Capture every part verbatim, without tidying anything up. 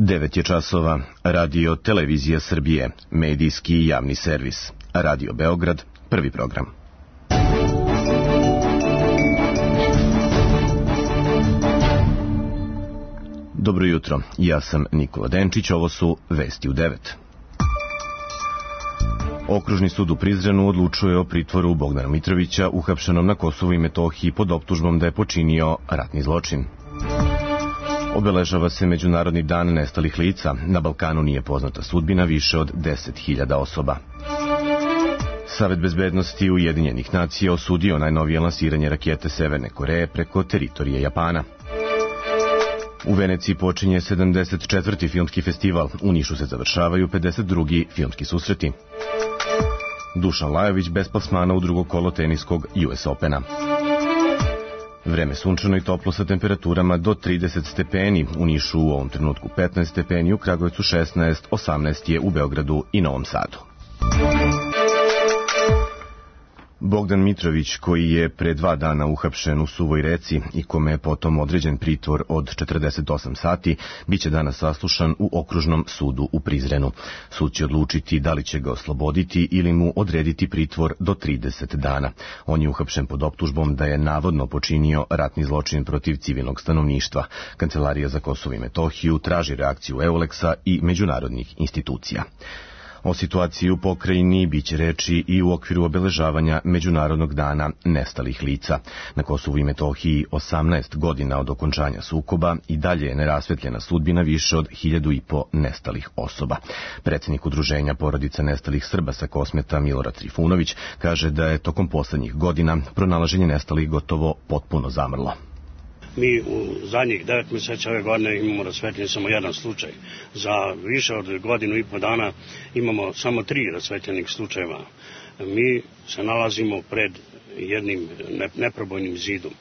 devet je časova. Radio Televizija Srbije, medijski i javni servis. Radio Beograd, prvi program. Dobro jutro, ja sam Nikola Denčić, ovo su Vesti u devet. Okružni sud u Prizrenu odlučuje o pritvoru Bogdana Mitrovića, uhapšenom na Kosovu i Metohiji pod optužbom da je počinio ratni zločin. Obeležava se Međunarodni dan nestalih lica. Na Balkanu nije poznata sudbina više od deset hiljada osoba. Savet bezbednosti Ujedinjenih nacija osudio najnovije lansiranje rakete Severne Koreje preko teritorije Japana. U Veneciji počinje sedamdeset četvrti filmski festival. U Nišu se završavaju pedeset drugi filmski susreti. Dušan Lajović bez plasmana u drugo kolo teniskog U S Opena. Vreme sunčano i toplo sa temperaturama do trideset stepeni. U Nišu u ovom trenutku petnaest stepeni, u Kragujevcu šesnaest, osamnaest je u Beogradu i Novom Sadu. Bogdan Mitrović, koji je pre dva dana uhapšen u Suvoj Reci i kome je potom određen pritvor od četrdeset osam sati, biće danas saslušan u Okružnom sudu u Prizrenu. Sud će odlučiti da li će ga osloboditi ili mu odrediti pritvor do trideset dana. On je uhapšen pod optužbom da je navodno počinio ratni zločin protiv civilnog stanovništva. Kancelarija za Kosovo i Metohiju traži reakciju Euleksa i međunarodnih institucija. O situaciji u pokrajini biće reči i u okviru obeležavanja Međunarodnog dana nestalih lica. Na Kosovu i Metohiji osamnaest godina od okončanja sukoba i dalje je nerasvetljena sudbina više od hiljadu i po nestalih osoba. Predsjednik Udruženja porodica nestalih Srba sa Kosmeta Milorad Trifunović kaže da je tokom poslednjih godina pronalaženje nestalih gotovo potpuno zamrlo. Mi u zadnjih devet mjeseca ove godine imamo rasvetljen samo jedan slučaj. Za više od godinu i po dana imamo samo tri rasvetljenih slučajeva. Mi se nalazimo pred jednim neprobojnim zidom.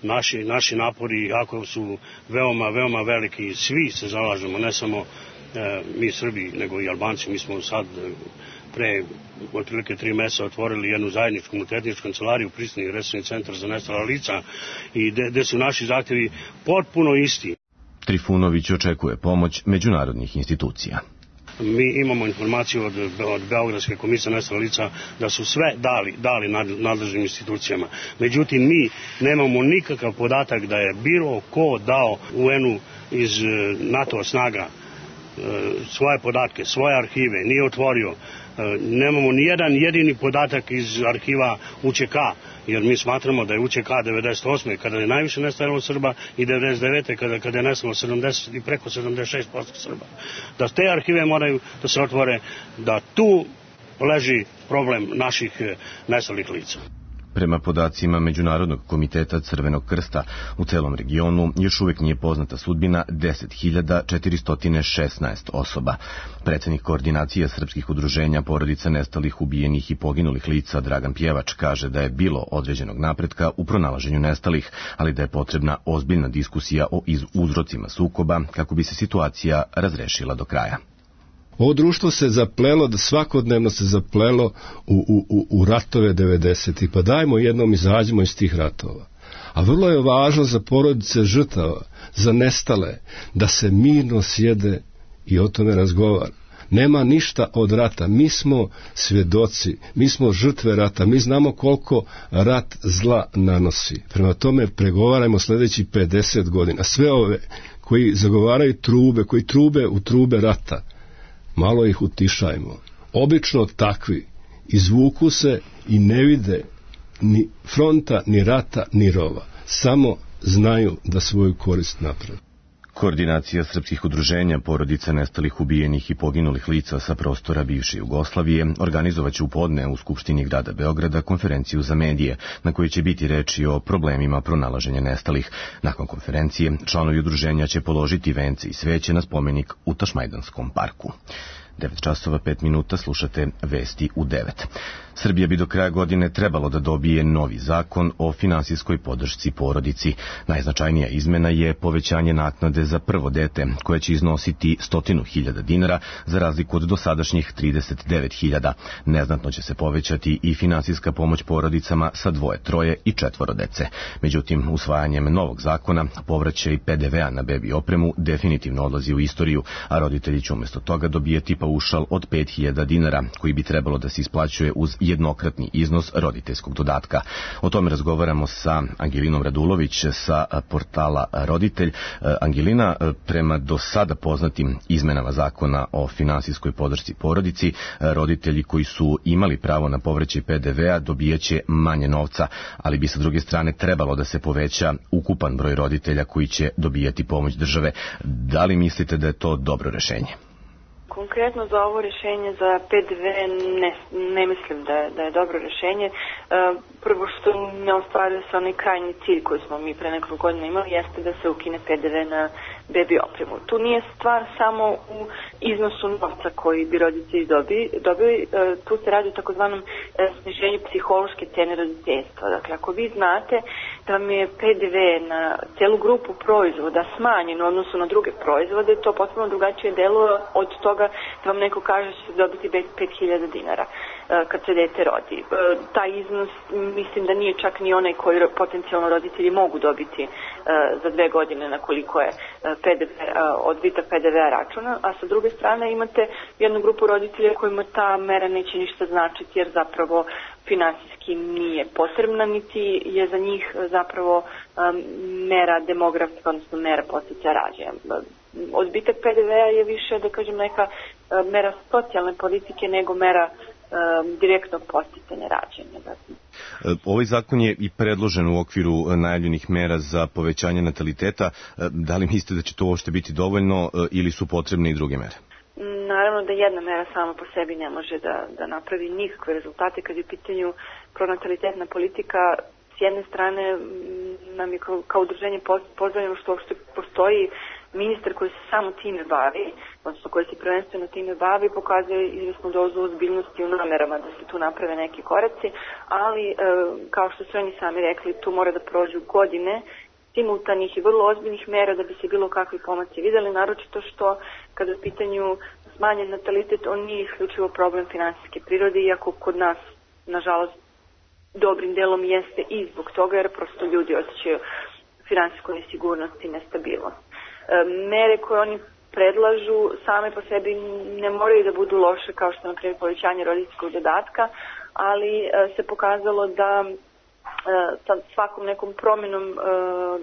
Naši, naši napori, jako su veoma, veoma veliki, svi se zalažemo, ne samo e, mi Srbi, nego i Albanci. Mi smo sad pre otprilike tri mjeseca otvorili jednu zajedničku multietničku kancelariju, Pristini resursni centar za nestala lica, i gde su naši zahtjevi potpuno isti. Trifunović očekuje pomoć međunarodnih institucija. Mi imamo informaciju od, od Beogradske komisije nestala lica da su sve dali, dali nadležnim institucijama. Međutim, mi nemamo nikakav podatak da je bilo ko dao U N-u iz NATO snaga svoje podatke, svoje arhive, nije otvorio. Nemamo ni jedan jedini podatak iz arhiva U Č K, jer mi smatramo da je U Č K devedeset osme kada je najviše nestajalo Srba i devedeset devete kada, kada je nestalo sedamdeset i preko sedamdeset šest posto Srba. Da te arhive moraju da se otvore, da tu leži problem naših nestalih lica. Prema podacima Međunarodnog komiteta Crvenog krsta, u celom regionu još uvek nije poznata sudbina deset hiljada četiristo šesnaest osoba. Predsjednik koordinacije srpskih udruženja porodica nestalih, ubijenih i poginulih lica Dragan Pjevač kaže da je bilo određenog napretka u pronalaženju nestalih, ali da je potrebna ozbiljna diskusija o uzrocima sukoba kako bi se situacija razrešila do kraja. Ovo društvo se zaplelo, da svakodnevno se zaplelo u, u, u ratove devedesetih, pa dajmo jednom izađemo iz tih ratova. A vrlo je važno za porodice žrtava, za nestale, da se mirno sjede i o tome razgovara. Nema ništa od rata, mi smo svjedoci, mi smo žrtve rata, mi znamo koliko rat zla nanosi. Prema tome pregovarajmo sljedeći pedeset godina. Sve ove koji zagovaraju trube, koji trube u trube rata, malo ih utišajmo. Obično takvi izvuku se i ne vide ni fronta, ni rata, ni rova. Samo znaju da svoju korist naprave. Koordinacija srpskih udruženja porodica nestalih, ubijenih i poginulih lica sa prostora bivše Jugoslavije organizovaće u podne u Skupštini grada Beograda konferenciju za medije, na kojoj će biti reči o problemima pronalaženja nestalih. Nakon konferencije, članovi udruženja će položiti vence i sveće na spomenik u Tašmajdanskom parku. devet časova pet minuta, slušate Vesti u devet. Srbija bi do kraja godine trebalo da dobije novi zakon o finansijskoj podršci porodici. Najznačajnija izmena je povećanje naknade za prvo dete, koje će iznositi stotinu hiljada dinara za razliku od dosadašnjih trideset devet hiljada. Neznatno će se povećati i finansijska pomoć porodicama sa dvoje, troje i četvoro dece. Međutim, usvajanjem novog zakona, povraćaj P D V-a na bebi opremu definitivno odlazi u istoriju, a roditelji će umjesto toga dobijeti paušal od pet hiljada dinara, koji bi trebalo da se isplaćuje uz jednokratni iznos roditeljskog dodatka. O tome razgovaramo sa Angelinom Radulović sa portala Roditelj. Angelina, prema do sada poznatim izmenama zakona o finansijskoj podršci porodici, roditelji koji su imali pravo na povraćaj P D V-a dobijaće manje novca, ali bi sa druge strane trebalo da se poveća ukupan broj roditelja koji će dobijati pomoć države. Da li mislite da je to dobro rešenje? Konkretno za ovo rješenje za P D V ne, ne mislim da je, da je dobro rješenje. E, prvo što ne ostvaruje se onaj krajnji cilj koji smo mi pre nekoliko godina imali, jeste da se ukine P D V na bebi opremu. Tu nije stvar samo u iznosu novca koji bi roditelji dobi, dobili, e, tu se radi o takozvanom e, sniženju psihološke cene roditeljstva. Dakle, ako vi znate da vam je P D V na celu grupu proizvoda smanjen u odnosu na druge proizvode, to potpuno drugačije deluje od toga da vam neko kaže da će dobiti pet hiljada dinara kad se dete rodi. Taj iznos mislim da nije čak ni onaj koji potencijalno roditelji mogu dobiti za dve godine na koliko je P D V, odbitak P D V-a računa, a sa druge strane imate jednu grupu roditelja kojima ta mera neće ništa značiti jer zapravo finansijski nije potrebna, niti je za njih zapravo mera demografska, odnosno mera podsticaja rađanja. Odbitak P D V-a je više, da kažem, neka mera socijalne politike nego mera um, direktnog podsticanja rađanja. Dakle. Ovaj zakon je i predložen u okviru najavljenih mera za povećanje nataliteta. Da li mislite da će to uopšte biti dovoljno ili su potrebne i druge mere? Naravno da jedna mera sama po sebi ne može da, da napravi nikakve rezultate kad je u pitanju pronatalitetna politika. S jedne strane nam je kao, kao udruženje pozdravljeno što uopšte postoji ministar koji se samo time bavi, odnosno koji se prvenstveno time bavi, pokazuje izvjesnu dozu ozbiljnosti u namerama da se tu naprave neki koraci, ali e, kao što su oni sami rekli, tu mora da prođu godine simultanih i vrlo ozbiljnih mera da bi se bilo kakvi pomaci videli, naročito što kada u pitanju smanjen natalitet, on nije isključivo problem finansijske prirode, iako kod nas, nažalost, dobrim delom jeste i zbog toga, jer prosto ljudi osjećaju finansijsku nesigurnost i nestabilnost. E, mere koje oni predlažu same po sebi ne moraju da budu loše, kao što na primjer povećanje roditeljskog dodatka, ali e, se pokazalo da e, sa svakom nekom promjenom, e,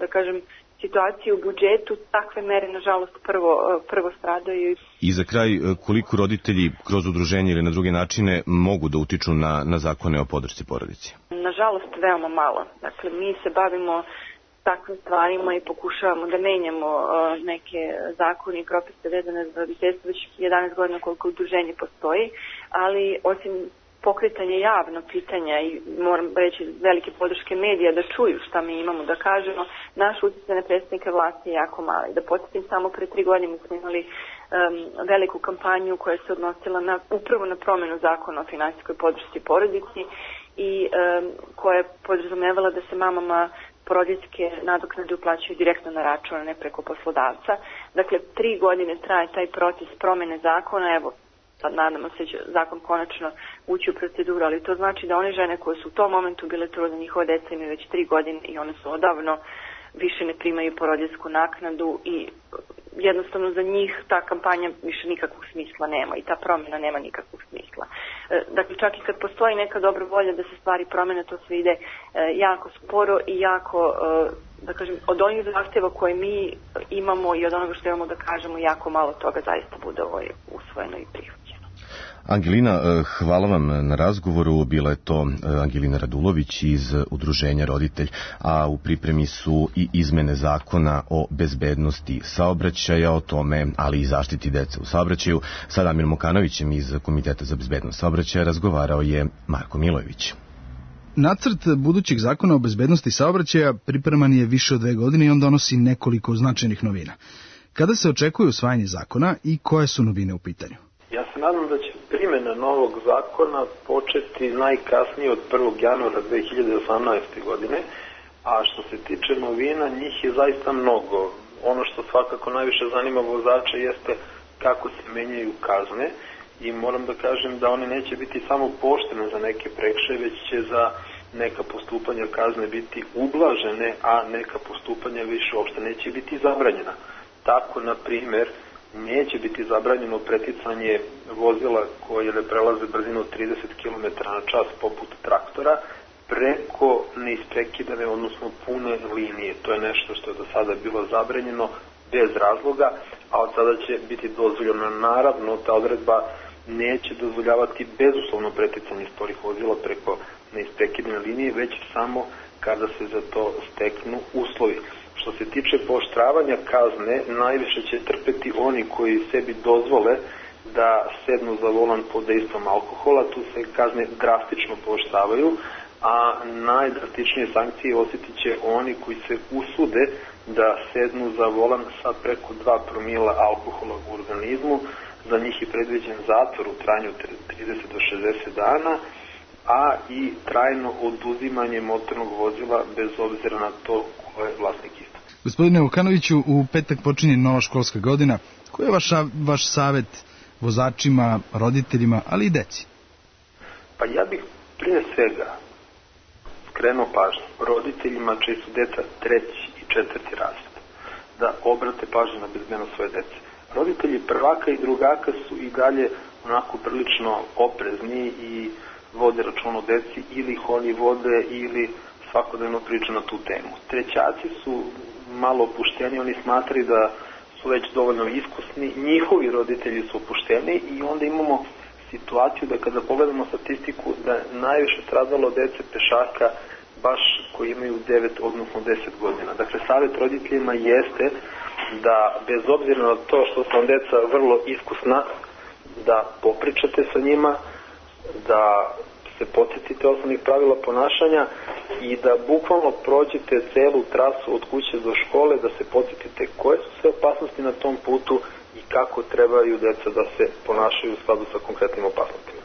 da kažem, situacije u budžetu, takve mere, nažalost, prvo, prvo stradaju. I za kraj, koliko roditelji kroz udruženje ili na druge načine mogu da utiču na, na zakone o podršci porodici? Nažalost, veoma malo. Dakle, mi se bavimo takvim stvarima i pokušavamo da menjamo uh, neke zakone i propise vezane za roditeljstvo već jedanaest godina koliko udruženje postoji, ali osim pokretanje javno pitanja i moram reći velike podrške medija da čuju šta mi imamo da kažemo, naš utjecaj na predstavnike vlasti je jako mali. Da podsjetim, samo pre tri godine smo imali um, veliku kampanju koja se odnosila na, upravo na promjenu zakona o finansijskoj podršci porodici i um, koja je podrazumevala da se mamama porodiljske nadoknade uplaćuju direktno na račun, a ne preko poslodavca. Dakle, tri godine traje taj proces promjene zakona, evo, sad nadamo se će zakon konačno ući u proceduru, ali to znači da one žene koje su u tom momentu bile trudne, njihova deca imaju već tri godine i one su odavno više ne primaju porodiljsku naknadu i jednostavno za njih ta kampanja više nikakvog smisla nema i ta promjena nema nikakvog smisla. Dakle, čak i kad postoji neka dobra volja da se stvari promjene, to sve ide jako sporo i jako, da kažem, od onih zahtjeva koje mi imamo i od onoga što imamo da kažemo, jako malo toga zaista bude usvojeno i prihvaćeno. Angelina, hvala vam na razgovoru. Bila je to Angelina Radulović iz udruženja Roditelj, a u pripremi su i izmene zakona o bezbednosti saobraćaja, o tome, ali i zaštiti dece u saobraćaju. Sa Damirom Mokanovićem iz Komiteta za bezbednost saobraćaja razgovarao je Marko Milojević. Nacrt budućeg zakona o bezbednosti saobraćaja pripreman je više od dve godine i on donosi nekoliko značajnih novina. Kada se očekuje usvajanje zakona i koje su novine u pitanju? Ja sam nadam da će primjena novog zakona početi najkasnije od prvog januara dve hiljade osamnaeste. godine, a što se tiče novina, njih je zaista mnogo. Ono što svakako najviše zanima vozača jeste kako se menjaju kazne i moram da kažem da one neće biti samo pooštrene za neke prekršaje, već će za neka postupanja kazne biti ublažene, a neka postupanja više uopšte neće biti zabranjena. Tako, na primjer, neće biti zabranjeno preticanje vozila koje ne prelaze brzinu od trideset kilometara na čas poput traktora preko neisprekidane, odnosno pune linije. To je nešto što je do sada bilo zabranjeno bez razloga, a od sada će biti dozvoljeno. Naravno, ta odredba neće dozvoljavati bezuslovno preticanje sporih vozila preko neisprekidane linije, već samo kada se za to steknu uslovi. Što se tiče pooštravanja kazne, najviše će trpeti oni koji sebi dozvole da sednu za volan pod dejstvom alkohola. Tu se kazne drastično pooštravaju, a najdrastičnije sankcije osjetit će oni koji se usude da sednu za volan sa preko dva promila alkohola u organizmu. Za njih je predviđen zatvor u trajanju trideset do šezdeset dana, a i trajno oduzimanje motornog vozila bez obzira na to ko je vlasnik isto. Gospodine Vukanoviću, u petak počinje nova školska godina. Koji je vaš, vaš savjet vozačima, roditeljima, ali i deci? Pa ja bih prije svega skrenuo pažnju roditeljima čiji su deca treći i četvrti razred, da obrate pažnju na bezbednost svoje dece. Roditelji prvaka i drugaka su i dalje onako prilično oprezni i vode račun o deci, ili ih oni vode ili svakodnevno priča na tu temu. Trećaci su malo opušteni, oni smatraju da su već dovoljno iskusni, njihovi roditelji su opušteni i onda imamo situaciju da kada pogledamo statistiku da najviše stradalo dece pešaka baš koji imaju devet odnosno deset godina. Dakle, savjet roditeljima jeste da bez obzira na to što su vam deca vrlo iskusna, da popričate sa njima, da se podsjetite osnovnih pravila ponašanja i da bukvalno prođete celu trasu od kuće do škole, da se podsjetite koje su sve opasnosti na tom putu i kako trebaju deca da se ponašaju u skladu sa konkretnim opasnostima.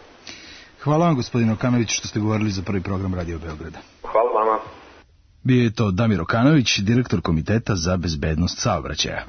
Hvala vam, gospodine Okanović, što ste govorili za prvi program Radio Beograda. Hvala vama. Bio je to Damir Okanović, direktor Komiteta za bezbednost saobraćaja.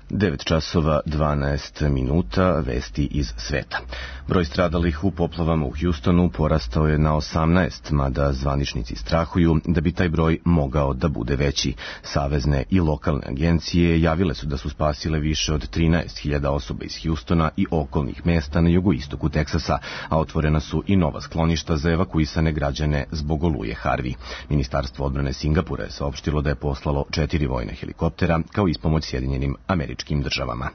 devet časova dvanaest minuta, vesti iz sveta. Broj stradalih u poplavama u Houstonu porastao je na osamnaest, mada zvaničnici strahuju da bi taj broj mogao da bude veći. Savezne i lokalne agencije javile su da su spasile više od trinaest hiljada osoba iz Houstona i okolnih mesta na jugoistoku Teksasa, a otvorena su i nova skloništa za evakuisane građane zbog oluje Harvey. Ministarstvo odbrane Singapura je saopštilo da je poslalo četiri vojne helikoptera kao ispomoć Sjedinjenim Američkim državama.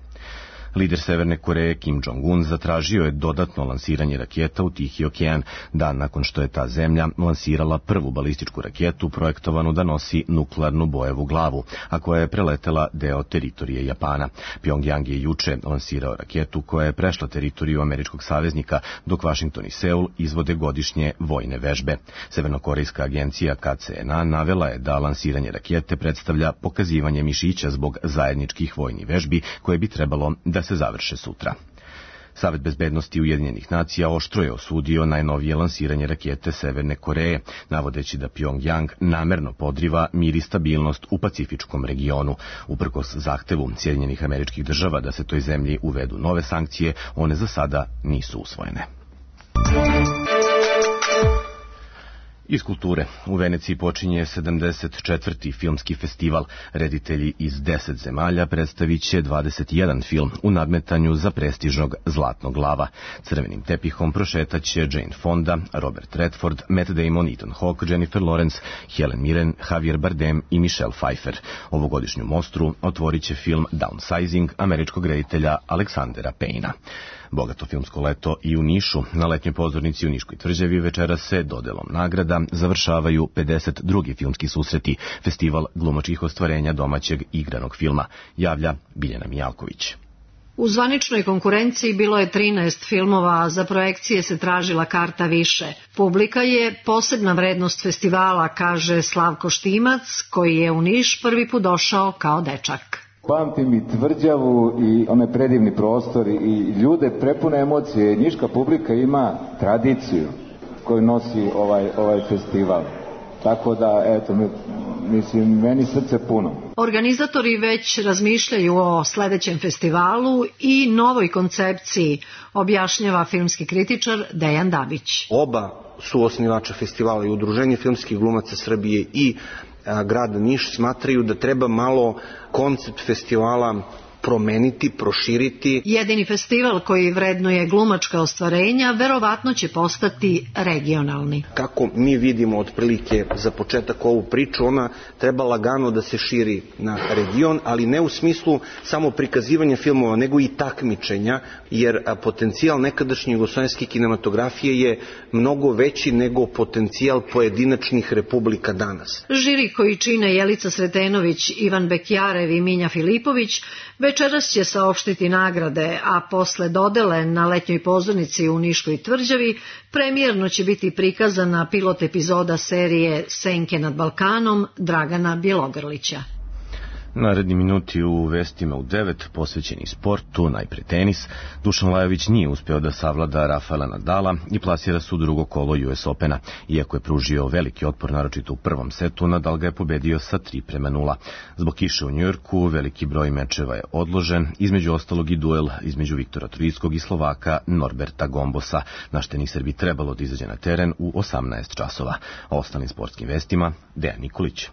Lider Severne Koreje Kim Jong-un zatražio je dodatno lansiranje raketa u Tihi okean, dan nakon što je ta zemlja lansirala prvu balističku raketu projektovanu da nosi nuklearnu bojevu glavu, a koja je preletela deo teritorije Japana. Pjongjang je juče lansirao raketu koja je prešla teritoriju američkog saveznika, dok Vašington i Seul izvode godišnje vojne vežbe. Severnokorejska agencija K C N A navela je da lansiranje rakete predstavlja pokazivanje mišića zbog zajedničkih vojnih vežbi koje bi trebalo da se završe sutra. Savet bezbednosti Ujedinjenih nacija oštro je osudio najnovije lansiranje rakete Severne Koreje, navodeći da Pjongjang namerno podriva mir i stabilnost u Pacifičkom regionu. Uprkos zahtevu Sjedinjenih Američkih država da se toj zemlji uvedu nove sankcije, one za sada nisu usvojene. Iz kulture. U Veneciji počinje sedamdeset četvrti filmski festival. Reditelji iz deset zemalja predstavit će dvadeset jedan film u nadmetanju za prestižnog Zlatnog lava. Crvenim tepihom prošetaće Jane Fonda, Robert Redford, Matt Damon, Ethan Hawke, Jennifer Lawrence, Helen Mirren, Javier Bardem i Michelle Pfeiffer. Ovogodišnju mostru otvorit će film Downsizing američkog reditelja Aleksandera Payna. Bogato filmsko leto i u Nišu. Na letnjoj pozornici u Niškoj tvrđavi večera se dodelom nagrada završavaju pedeset drugi filmski susreti, festival glumačkih ostvarenja domaćeg igranog filma, javlja Biljana Mijalković. U zvaničnoj konkurenciji bilo je trinaest filmova, a za projekcije se tražila karta više. Publika je posebna vrednost festivala, kaže Slavko Štimac, koji je u Niš prvi put došao kao dečak. Pamtim i Tvrđavu i onaj predivni prostor i ljude prepune emocije. Niška publika ima tradiciju koju nosi ovaj, ovaj festival. Tako da, eto, mislim, meni srce puno. Organizatori već razmišljaju o sledećem festivalu i novoj koncepciji, objašnjava filmski kritičar Dejan Dabić. Oba su osnivača festivala, i Udruženje filmskih glumaca Srbije i a, grad Niš smatraju da treba malo koncept festivala promeniti, proširiti. Jedini festival koji vrednuje glumačka ostvarenja verovatno će postati regionalni. Kako mi vidimo otprilike za početak ovu priču, ona treba lagano da se širi na region, ali ne u smislu samo prikazivanja filmova, nego i takmičenja, jer potencijal nekadašnje jugoslovenske kinematografije je mnogo veći nego potencijal pojedinačnih republika danas. Žiri koji čine Jelica Sretenović, Ivan Bekjarev i Minja Filipović večeras će saopštiti nagrade, a posle dodele na letnjoj pozornici u Niškoj tvrđavi premijerno će biti prikazana pilot epizoda serije Senke nad Balkanom Dragana Bjelogrlića. Naredni minuti u vestima u devet posvećeni sportu, najpre tenis. Dušan Lajović nije uspeo da savlada Rafaela Nadala i plasira se u drugo kolo U S Opena. Iako je pružio veliki otpor, naročito u prvom setu, Nadal ga je pobedio sa tri prema nula. Zbog kiše u Njujorku veliki broj mečeva je odložen, između ostalog i duel između Viktora Troickog i Slovaka Norberta Gombosa. Naš teniser bi trebalo da izađe na teren u osamnaest časova. O ostalim sportskim vestima Dejan Nikolić.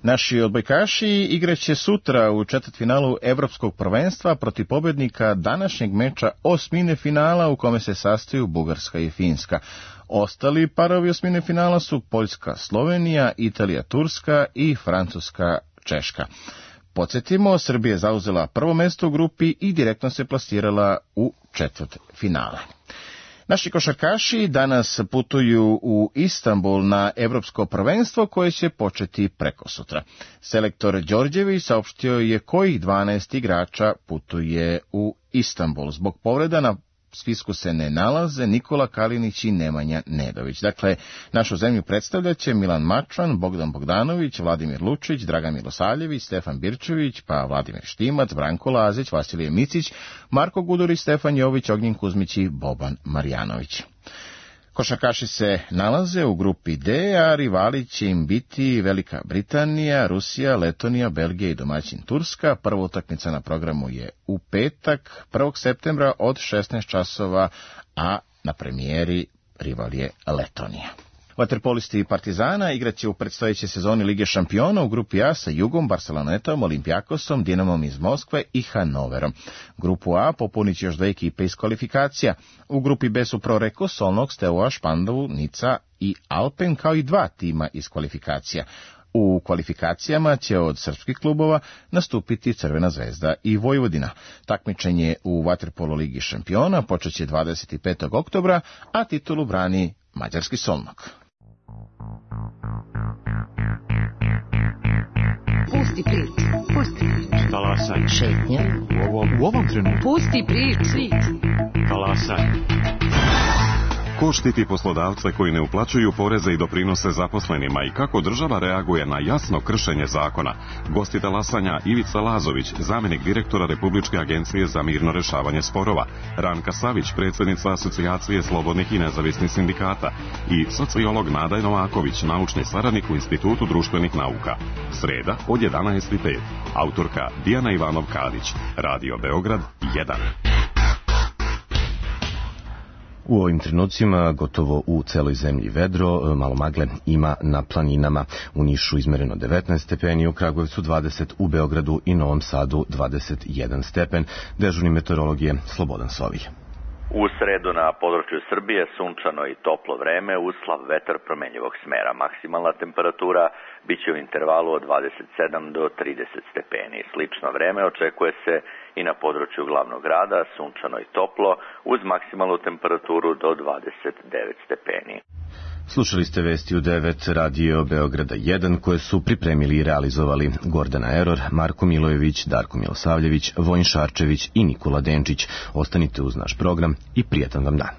Naši odbojkaši igraće sutra u četvrtfinalu Evropskog prvenstva protiv pobednika današnjeg meča osmine finala u kome se sastaju Bugarska i Finska. Ostali parovi osmine finala su Poljska, Slovenija, Italija, Turska i Francuska, Češka. Podsjetimo, Srbija je zauzela prvo mesto u grupi i direktno se plasirala u četvrtfinale. Naši košarkaši danas putuju u Istanbul na evropsko prvenstvo koje će početi prekosutra. Selektor Đorđević saopštio je kojih dvanaest igrača putuje u Istanbul. Zbog povreda na spisku se ne nalaze Nikola Kalinić i Nemanja Nedović. Dakle, našu zemlju predstavljaće Milan Mačvan, Bogdan Bogdanović, Vladimir Lučić, Dragan Milosavljević, Stefan Birčević, pa Vladimir Štimac, Branko Lazić, Vasilije Micić, Marko Gudurić, Stefan Jović, Ognjen Kuzmić i Boban Marjanović. Košarkaši se nalaze u grupi D, a rivali će im biti Velika Britanija, Rusija, Letonija, Belgija i domaćin Turska. Prva utakmica na programu je u petak, prvog septembra od šesnaest časova, a na premijeri rival je Letonija. Vaterpolisti Partizana igraće u predstojećoj sezoni Lige šampiona u grupi A sa Jugom, Barcelonetom, Olimpijakosom, Dinamom iz Moskve i Hanoverom. Grupu A popunit će još dve ekipe iz kvalifikacija. U grupi B su Proreko, Solnog, Steaua, Špandovu, Nica i Alpen, kao i dva tima iz kvalifikacija. U kvalifikacijama će od srpskih klubova nastupiti Crvena zvezda i Vojvodina. Takmičenje u Vaterpolo Ligi šampiona počeće dvadeset petog oktobra, a titulu brani mađarski Solnog. Pusti priču, pusti priču. Talasaj. Šetnja. U ovom, u ovom trenutku. Pusti priču. Talasaj. Ko štiti poslodavce koji ne uplaćuju poreze i doprinose zaposlenima i kako država reaguje na jasno kršenje zakona? Gosti talasanja Ivica Lazović, zamenik direktora Republičke agencije za mirno rešavanje sporova, Ranka Savić, predsjednica Asocijacije slobodnih i nezavisnih sindikata i sociolog Nada Novaković, naučni saradnik u Institutu društvenih nauka. Sreda od jedanaest i pet. Autorka Dijana Ivanov-Kadić. Radio Beograd jedan. U ovim trenucima gotovo u celoj zemlji vedro, malo magle ima na planinama. U Nišu izmereno devetnaest stepeni, u Kragujevcu dvadeset, u Beogradu i Novom Sadu dvadeset jedan stepen. Dežurni meteorolog je Slobodan Sovilj. U sredu na području Srbije sunčano i toplo vreme uz slab vetar promenjivog smera. Maksimalna temperatura biće u intervalu od dvadeset sedam do trideset stepeni. Slično vreme očekuje se i na području glavnog grada, sunčano i toplo uz maksimalnu temperaturu do dvadeset devet stepeni. Slušali ste vesti u devet Radio Beograda jedan koje su pripremili i realizovali Gordana Eror, Marko Milojević, Darko Milosavljević, Vojin Šarčević i Nikola Denčić. Ostanite uz naš program i prijatan vam dan.